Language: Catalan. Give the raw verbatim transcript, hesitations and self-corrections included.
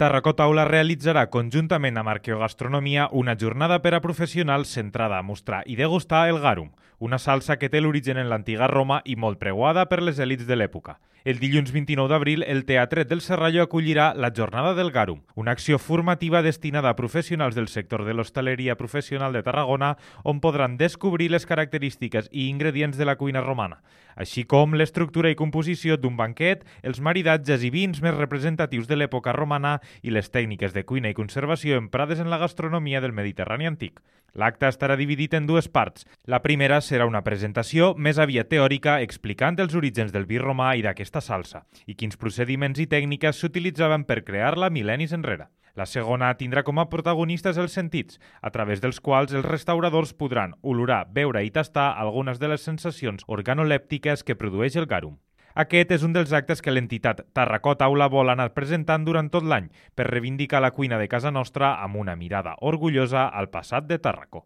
Tarracó Taula realitzarà conjuntament amb Arqueogastronomia una jornada per a professionals centrada a mostrar i degustar el garum, una salsa que té l'origen en l'antiga Roma i molt preuada per les elits de l'època. El dilluns vint-i-nou d'abril, el Teatret del Serrallo acollirà la Jornada del Garum, una acció formativa destinada a professionals del sector de l'hostaleria professional de Tarragona, on podran descobrir les característiques i ingredients de la cuina romana, així com l'estructura i composició d'un banquet, els maridatges i vins més representatius de l'època romana i les tècniques de cuina i conservació emprades en la gastronomia del Mediterrani antic. L'acte estarà dividit en dues parts. La primera serà una presentació més aviat teòrica explicant els orígens del vi romà i d'aquesta salsa i quins procediments i tècniques s'utilitzaven per crear-la mil·lennis enrere. La segona tindrà com a protagonistes els sentits, a través dels quals els restauradors podran olorar, veure i tastar algunes de les sensacions organolèptiques que produeix el garum. Aquest és un dels actes que l'entitat Tarracó Taula vol anar presentant durant tot l'any per reivindicar la cuina de casa nostra amb una mirada orgullosa al passat de Tarracó.